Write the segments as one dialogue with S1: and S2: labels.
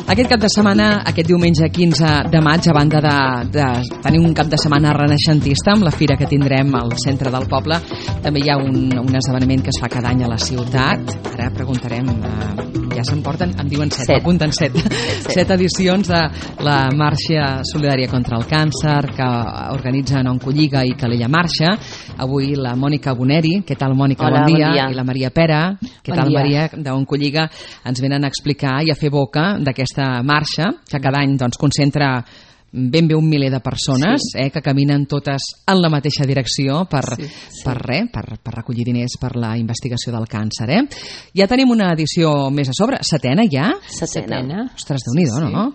S1: Aquest cap de setmana, aquest diumenge 15 de maig, a banda de tenir un cap de setmana renaixentista amb la fira que tindrem al centre del poble, també hi ha un esdeveniment que es fa cada any a la ciutat. Ara preguntarem, ja se'n porten, em diuen 7, apunten 7 edicions de la Marxa Solidària contra el Càncer que organitzen Oncolliga i Calella Marxa. Avui la Mònica Boneri, què tal Mònica?
S2: Hola,
S1: bon dia.
S2: bon dia.
S1: I la Maria Pera, què tal Maria, d'Oncolliga, ens venen a explicar i a fer boca d'aquesta marxa que cada any doncs, concentra ben bé 1 miler de persones que caminen totes en la mateixa direcció per recollir diners per la investigació del càncer. Ja tenim una edició més a sobre, setena ja?
S2: Setena.
S1: Ostres, Déu-n'hi-do, no?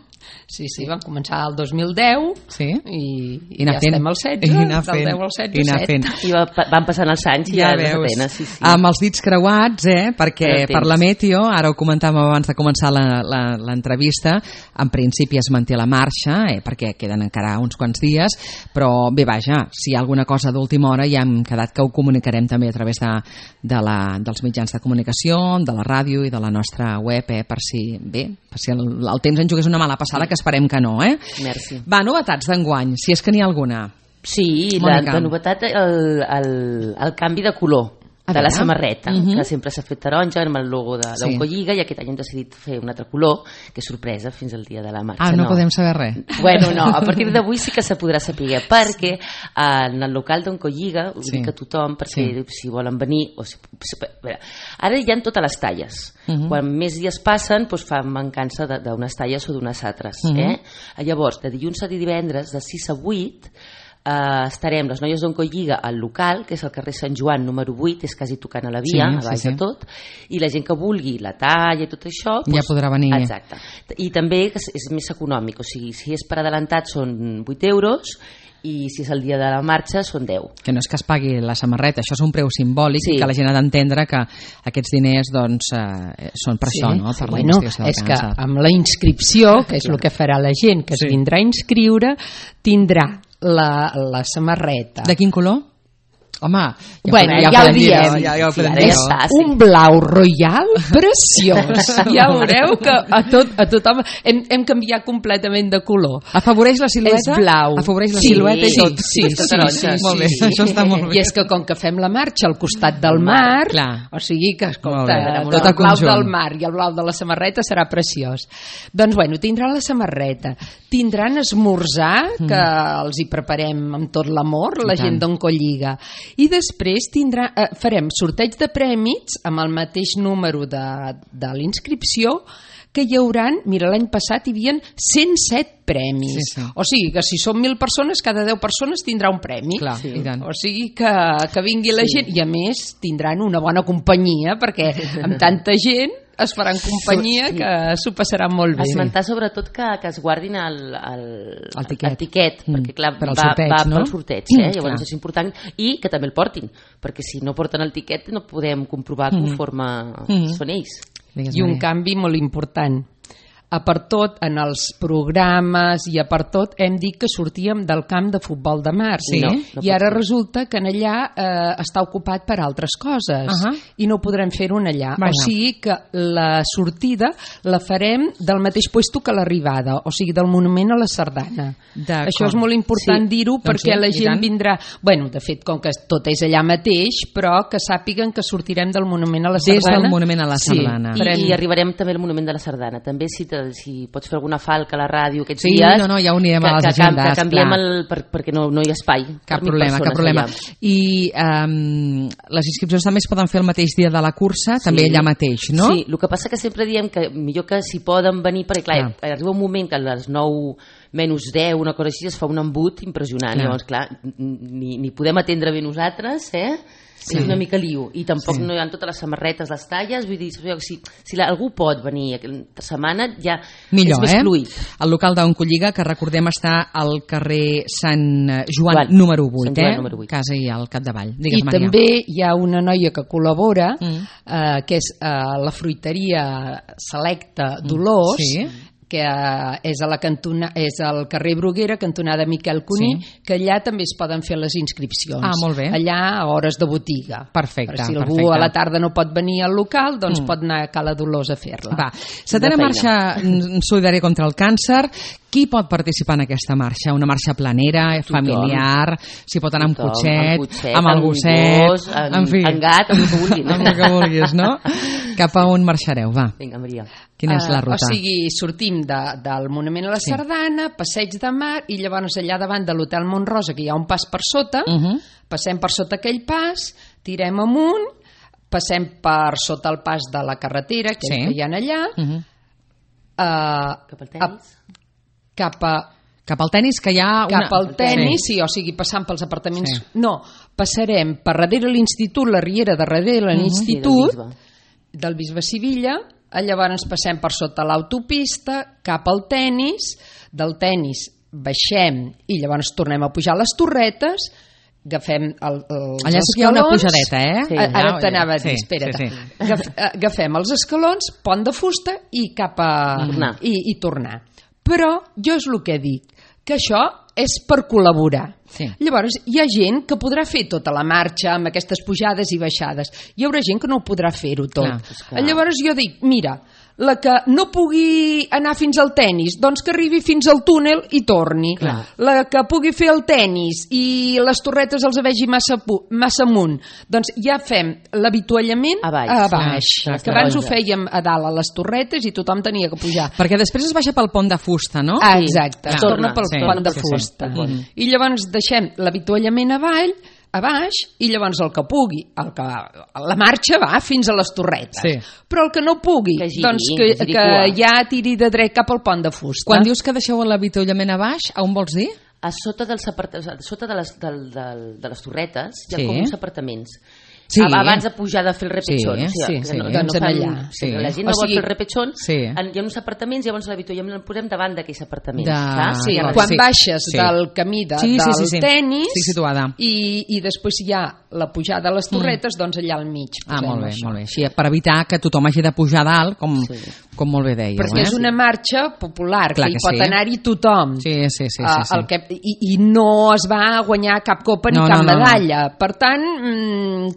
S3: Sí, vam començar el 2010 i ja estem al 16, del 10 al 16, 7.
S2: I van passant els anys i ja la setena,
S1: amb els dits creuats, perquè per la Meteo, ara ho comentàvem abans de començar l'entrevista, en principi es manté la marxa, perquè queden encara uns quants dies, però bé, vaja, si hi ha alguna cosa d'última hora ja hem quedat que ho comunicarem també a través dels mitjans de comunicació, de la ràdio i de la nostra web, per si el temps ens jugués una mala passada, que esperem que no,
S2: Merci.
S1: Va, novetats d'enguany, si és que n'hi ha alguna.
S2: Sí, de novetat el canvi de color de la samarreta, que sempre s'ha fet taronja amb el logo d'Oncolliga, i aquest any hem decidit fer un altre color, que és sorpresa fins al dia de la marxa.
S1: No podem saber res.
S2: Bueno, no, a partir d'avui sí que se podrà saber, perquè en el local d'Oncolliga, ho dic a tothom, perquè si volen venir... Ara hi ha totes les talles. Quan més dies passen, fa mancança d'unes talles o d'unes altres. Llavors, de dilluns a divendres, de 6 a 8, estarem les noies d'Oncolliga al local, que és el carrer Sant Joan número 8, és quasi tocant a la via, a baix de tot, i la gent que vulgui la talla i tot això
S1: ja podrà venir.
S2: Exacte. I també és més econòmic, o sigui, si és per adelantat són 8 euros i si és el dia de la marxa són 10.
S1: Que no és que es pagui la samarreta, això és un preu simbòlic, que la gent ha d'entendre que aquests diners són per això, no? Per la investigació del càncer.
S3: És que amb la inscripció, que és el que farà la gent que es vindrà a inscriure, tindrà la samarreta.
S1: De quin color? Home,
S3: ja ho diem. Un blau royal preciós. Ja veureu que a tothom hem canviat completament de color.
S1: Afavoreix la silueta?
S3: És blau.
S1: Afavoreix la silueta i tot?
S3: Sí.
S1: Molt bé, això està molt bé.
S3: I és que com que fem la marxa al costat del mar, o sigui que, escolta,
S1: tot
S3: el blau del mar i el blau de la samarreta serà preciós. Doncs, bueno, tindrà la samarreta. Tindran esmorzar, que els hi preparem amb tot l'amor, la gent d'Oncolliga. I després farem sorteig de prèmits amb el mateix número de l'inscripció, que hi hauran, mira, l'any passat hi havia 107 premis. O sigui que si són 1.000 persones, cada 10 persones tindrà un premi. O sigui que vingui la gent, i a més tindran una bona companyia, perquè amb tanta gent es faran companyia que s'ho passaran molt bé.
S2: Esmentar sobretot que es guardin el tiquet, perquè clar, va pel sorteig, llavors és important, i que també el portin, perquè si no porten el tiquet no podem comprovar conforme són ells.
S3: I un canvi molt important. A per tot, en els programes i a per tot, hem dit que sortíem del camp de futbol de mar. I ara resulta que en allà està ocupat per altres coses i no podrem fer-ho allà. O sigui que la sortida la farem del mateix puesto que l'arribada, o sigui, del monument a la Sardana. Això és molt important dir-ho, perquè la gent vindrà... Bueno, de fet, com que tot és allà mateix, però que sàpiguen que sortirem del monument a la Sardana.
S1: Des del monument a la Sardana.
S2: I arribarem també al monument de la Sardana. També si pots fer alguna falca a la ràdio aquests dies,
S1: ja ho anirem a les agendes,
S2: que canviem perquè no hi ha espai.
S1: Cap problema. I les inscripcions també es poden fer el mateix dia de la cursa, també allà mateix, no?
S2: Sí, el que passa que sempre diem que millor que si poden venir, perquè clar, arriba un moment que a les 9 menys 10, una cosa així, es fa un embut impressionant. Llavors, clar, ni podem atendre bé nosaltres, és una mica lío, i tampoc no hi ha totes les samarretes, les talles, vull dir, si algú pot venir aquesta setmana ja
S1: millor,
S2: és més fluid.
S1: El local d'Oncolliga, que recordem està al carrer Sant Joan número 8, casa i al capdavall.
S3: I també hi ha una noia que col·labora, que és la fruiteria Selecta Dolors, que és al carrer Bruguera, cantonada Miquel Cuní, que allà també es poden fer les inscripcions.
S1: Molt bé.
S3: Allà a hores de botiga.
S1: Perfecte.
S3: Si algú a la tarda no pot venir al local, doncs pot anar a Cala Dolors a fer-la.
S1: Va, setena marxa solidària contra el càncer. Qui pot participar en aquesta marxa? Una marxa planera, familiar, si pot anar amb cotxet, amb el gosset,
S2: en gat, amb el que vulguis.
S1: Amb el que vulguis, no? Cap a on marxareu, va?
S2: Vinga, Maria.
S1: Quina és la ruta?
S3: O sigui, sortim del Monument a la Sardana, Passeig de Mar, i llavors allà davant de l'Hotel Montrosa, que hi ha un pas per sota, passem per sota aquell pas, tirem amunt, passem per sota el pas de la carretera, que hi ha allà,
S2: cap al tenis?
S3: Cap
S1: al tenis, que hi ha...
S3: Cap al tenis, sí, o sigui, passant pels apartaments... No, passarem per darrere l'institut, la riera de darrere l'institut, del Bisbe Sivilla, llavors passem per sota l'autopista, cap al tenis, del tenis baixem i llavors tornem a pujar les torretes, agafem els escalons...
S1: Allà sí que hi ha una pujadeta,
S3: Ara t'anava a dir, espera't. Agafem els escalons, pont de fusta i cap a... I tornar. Però jo és el que dic, que això és per col·laborar. Llavors hi ha gent que podrà fer tota la marxa amb aquestes pujades i baixades. Hi haurà gent que no ho podrà fer-ho tot. Llavors jo dic, mira, la que no pugui anar fins al tenis, doncs que arribi fins al túnel i torni. La que pugui fer el tenis i les torretes els vegi massa amunt, doncs ja fem l'avituallament a baix. Que abans ho fèiem a dalt a les torretes i tothom tenia que pujar.
S1: Perquè després es baixa pel pont de fusta, no?
S3: Exacte, es torna pel pont de fusta. I llavors deixem l'avituallament a baix i llavors el que pugui, la marxa va fins a les torretes, però el que no pugui, doncs que ja tiri de dret cap al pont de fusta.
S1: Quan dius que deixeu l'avituallament a baix, on vols dir?
S2: A sota de les torretes hi ha com uns apartaments. Abans de pujar de fer el repechón.
S3: Doncs allà.
S2: La gent no vol fer el repechón, hi ha uns apartaments, llavors l'avituallament el posem davant d'aquells apartaments. Quan baixes del camí del tenis i després hi ha la pujada a les torretes, doncs allà al mig.
S1: Molt bé. Així, per evitar que tothom hagi de pujar dalt, com molt bé dèieu.
S3: Perquè és una marxa popular, que hi pot anar-hi tothom. I no es va guanyar cap copa ni cap medalla. Per tant,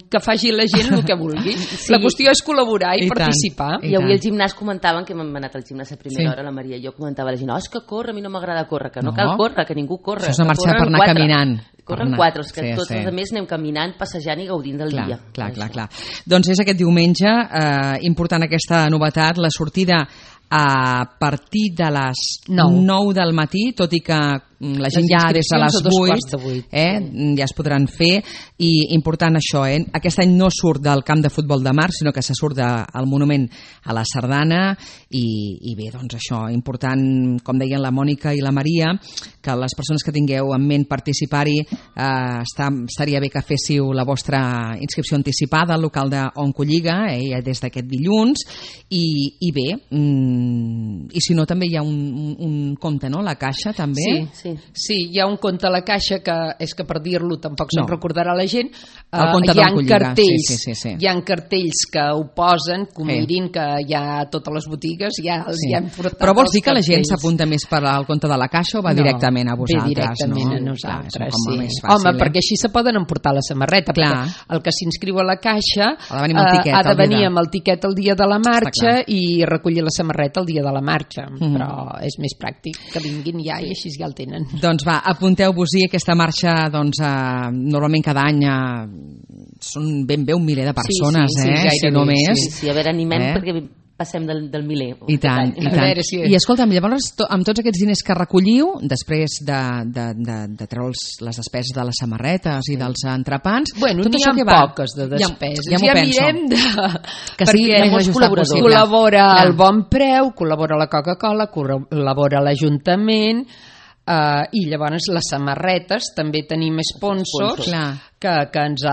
S3: que faci la gent el que vulgui. La qüestió és col·laborar i participar.
S2: I avui al gimnàs comentaven, que hem anat al gimnàs a primera hora, la Maria i jo comentava a la gent, és que corre, a mi no m'agrada córrer, que no cal córrer, que ningú corre.
S1: Això és una marxa per anar caminant.
S2: Corren 4, que tots els altres anem caminant, passejant i gaudint del dia.
S1: Clar. Doncs és aquest diumenge, important aquesta novetat, la sortida a partir de les 9 del matí, tot i que la gent ja des de les 8 ja es podran fer, i important això, aquest any no surt del camp de futbol de Mar, sinó que se surt del monument a la Sardana, i bé, doncs això, important, com deien la Mònica i la Maria, que les persones que tingueu en ment participar-hi, estaria bé que féssiu la vostra inscripció anticipada al local d'Oncolliga, des d'aquest dilluns, i bé, i si no també hi ha un compte, no? La Caixa també?
S3: Sí, hi ha un compte a la Caixa que és que per dir-lo tampoc se'n recordarà la gent. Hi ha cartells que ho posen, que ho mirin, que hi ha totes les botigues, ja els hi han portat.
S1: Però vols dir que la gent s'apunta més per al compte de la Caixa o va directament a vosaltres?
S3: Ve directament a nosaltres, sí. Home, perquè així se poden emportar la samarreta, perquè el que s'inscriu a la Caixa ha de venir amb el tiquet el dia de la marxa i recollir la samarreta el dia de la marxa, però és més pràctic que vinguin ja i així ja el tenen.
S1: Doncs va, apunteu-vos-hi aquesta marxa, doncs normalment cada any són ben bé 1 miler de persones, si no més.
S2: Sí, a veure, animem perquè passem del miler.
S1: I tant. I escolta'm, llavors, amb tots aquests diners que recolliu, després de treure les despeses de les samarretes i dels entrepans...
S3: Bueno, n'hi ha poques de despeses. Ja mirem
S1: perquè
S3: col·labora el Bon Preu, col·labora la Coca-Cola, col·labora l'Ajuntament, i llavors les samarretes també tenim sponsors que ens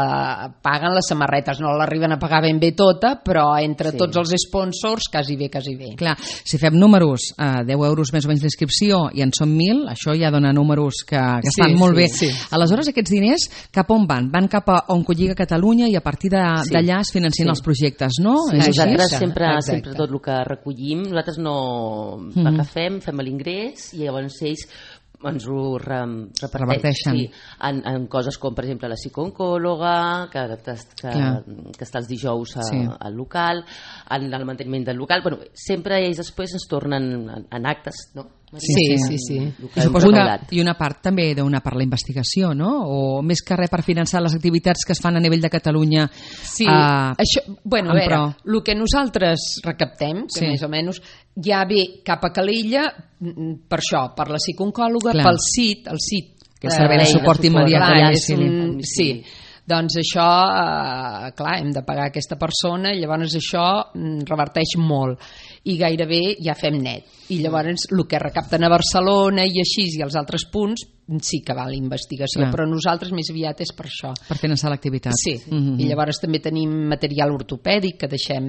S3: paguen les samarretes, no l'arriben a pagar ben bé tota, però entre tots els sponsors quasi bé.
S1: Clar, si fem números, 10 euros més o menys d'inscripció i en són 1.000, això ja dona números que estan molt bé. Aleshores, aquests diners cap on van? Van cap a Oncolliga Catalunya i a partir d'allà es financien els projectes, no?
S2: Nosaltres sempre tot el que recollim, nosaltres no agafem, fem l'ingrés i llavors ells ens ho reparteixen en coses com per exemple la psicooncòloga que està els dijous al local, en el manteniment del local, sempre ells després ens tornen en actes, no?
S3: Sí.
S1: I una part també d'una part la investigació, no? O més que res per finançar les activitats que es fan a nivell de Catalunya.
S3: Sí, això, a veure, el que nosaltres recaptem, que més o menys ja ve cap a Calella per això, per la psicooncòloga, pel CIT,
S1: que és el servei de suport immediat.
S3: Sí, doncs això, clar, hem de pagar aquesta persona i llavors això reverteix molt i gairebé ja fem net. I llavors el que recapten a Barcelona i així i els altres punts sí que va a la investigació, però nosaltres més aviat és per això.
S1: Per finançar l'activitat.
S3: Sí, i llavors també tenim material ortopèdic que deixem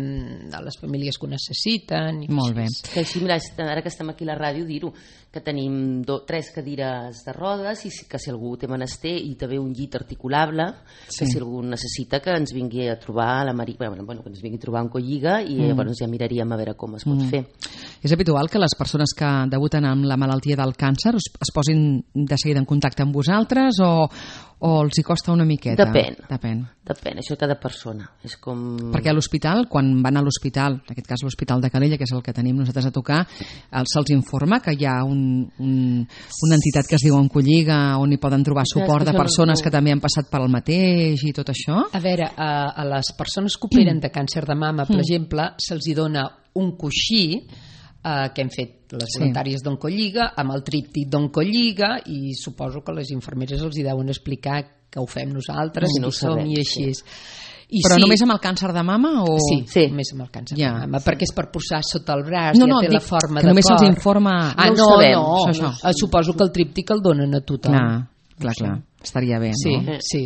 S3: a les famílies que ho necessiten.
S1: Molt bé.
S2: Que així, mira, ara que estem aquí a la ràdio, dir-ho, que tenim 3 cadires de rodes i que si algú té menester i també un llit articulable, que si algú necessita que ens vingui a trobar a la Maria, que ens vingui a trobar en Oncolliga i llavors ja miraríem a veure com es pot fer.
S1: És habitual que les persones que debuten amb la malaltia del càncer es posin de seguida en contacte amb vosaltres o els hi costa una miqueta?
S2: Depèn, això cada persona. És com...
S1: Perquè a l'hospital, quan van a l'hospital, en aquest cas l'Hospital de Calella, que és el que tenim nosaltres a tocar, se'ls informa que hi ha una entitat que es diu Oncolliga on hi poden trobar suport de persones que també han passat per el mateix i tot això?
S3: A veure, a les persones que operen de càncer de mama, per exemple, se'ls hi dona un coixí que hem fet les voluntàries d'Oncolliga amb el tríptic d'Oncolliga i suposo que les infermeres els hi deuen explicar que ho fem nosaltres i som i així.
S1: Però només amb el càncer de mama?
S3: Sí, només amb el càncer de mama, perquè és per posar sota el braç, ja té la forma de cor.
S1: Només se'ls informa...
S3: No, suposo que el tríptic el donen a tothom.
S1: Clar, estaria bé, no?
S3: Sí.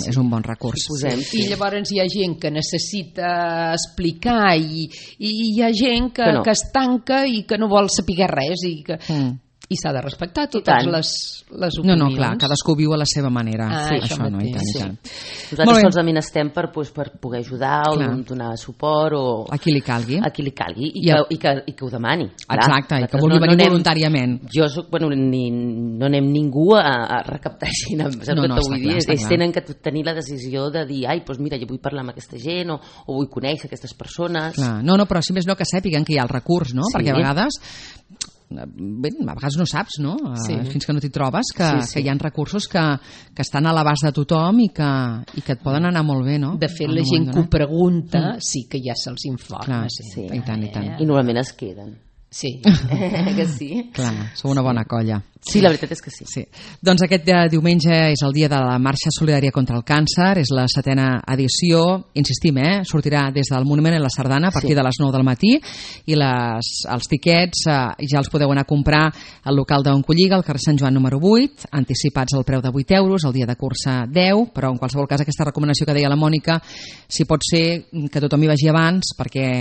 S1: És un bon recurs.
S3: I llavors hi ha gent que necessita explicar i hi ha gent que es tanca i que no vol saber res i s'ha de respectar totes les opinions.
S1: No, clar, cadascú viu a la seva manera. Això no, i tant.
S2: Nosaltres solament estem per poder ajudar o donar suport o...
S1: A qui li calgui.
S2: I que ho demani.
S1: Exacte, i que vulgui venir voluntàriament.
S2: Jo soc, no anem ningú a recaptar gent, saps què vull dir? Ells tenen que tenir la decisió de dir, doncs mira, jo vull parlar amb aquesta gent o vull conèixer aquestes persones.
S1: No, però si més no que sàpiguen que hi ha el recurs, no? Perquè a vegades no saps, no? Fins que no t'hi trobes que hi ha recursos que estan a l'abast de tothom i que et poden anar molt bé, no?
S3: De fet, la gent que ho pregunta sí que ja se'ls informa.
S1: I tant.
S2: I normalment es queden.
S3: Sí.
S2: Que sí?
S1: Clar, sou una bona colla.
S2: Sí, la veritat és que sí.
S1: Doncs aquest diumenge és el dia de la Marxa Solidària contra el Càncer, és la 7a edició, insistim, sortirà des del Monument a la Sardana a partir de les 9 del matí i els tiquets ja els podeu anar a comprar al local d'Oncolliga, al carrer Sant Joan número 8, anticipats al preu de 8 euros, el dia de cursa 10, però en qualsevol cas aquesta recomanació que deia la Mònica, si pot ser que tothom hi vagi abans perquè...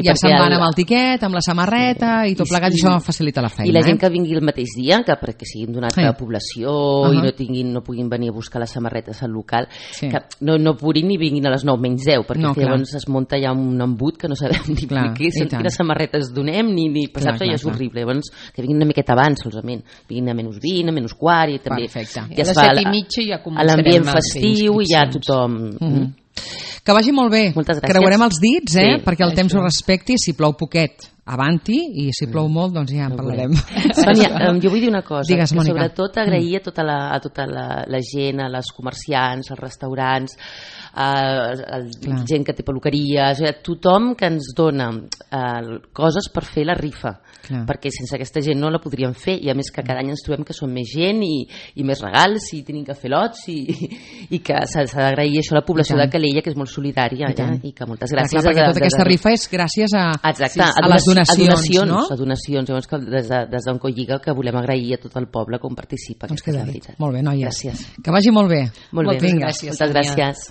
S1: ja se'n van amb el tiquet, amb la samarreta i tot plegat, i això facilita la feina.
S2: I la gent que vingui el mateix dia, que perquè siguin d'una altra població i no puguin venir a buscar les samarretes al local, que no puguin ni vinguin a les 9 menys 10, perquè llavors es munta ja un embut que no sabem ni quines samarretes donem ni passar, ja és horrible. Llavors que vinguin una miqueta abans solament, vinguin a menys 20, a menys quart, i també
S3: ja es fa a
S2: l'ambient festiu i ja tothom...
S1: Que vagi molt bé.
S2: Moltes gràcies.
S1: Creuarem els dits, perquè el temps ho respecti. Si plou poquet, avanti, i si plou molt, doncs ja en parlarem.
S2: Sònia, jo vull dir una cosa.
S1: Digues, Mònica.
S2: Sobretot agrair a tota la gent, a les comerciants, als restaurants, a gent que té peluqueries, a tothom que ens dona coses per fer la rifa, perquè sense aquesta gent no la podríem fer, i a més que cada any ens trobem que som més gent i més regals i tenim que fer lots i que s'ha d'agrair això a la població de Calella, que és molt solidària, i que moltes gràcies.
S1: Perquè tota aquesta rifa és gràcies a les donacions, no?
S2: A donacions. Llavors, des d'Oncolliga, que volem agrair a tot el poble com participa.
S1: Doncs queda dit. Molt bé, noies.
S2: Gràcies.
S1: Que vagi molt bé.
S2: Molt bé.
S3: Moltes gràcies.
S2: Moltes gràcies.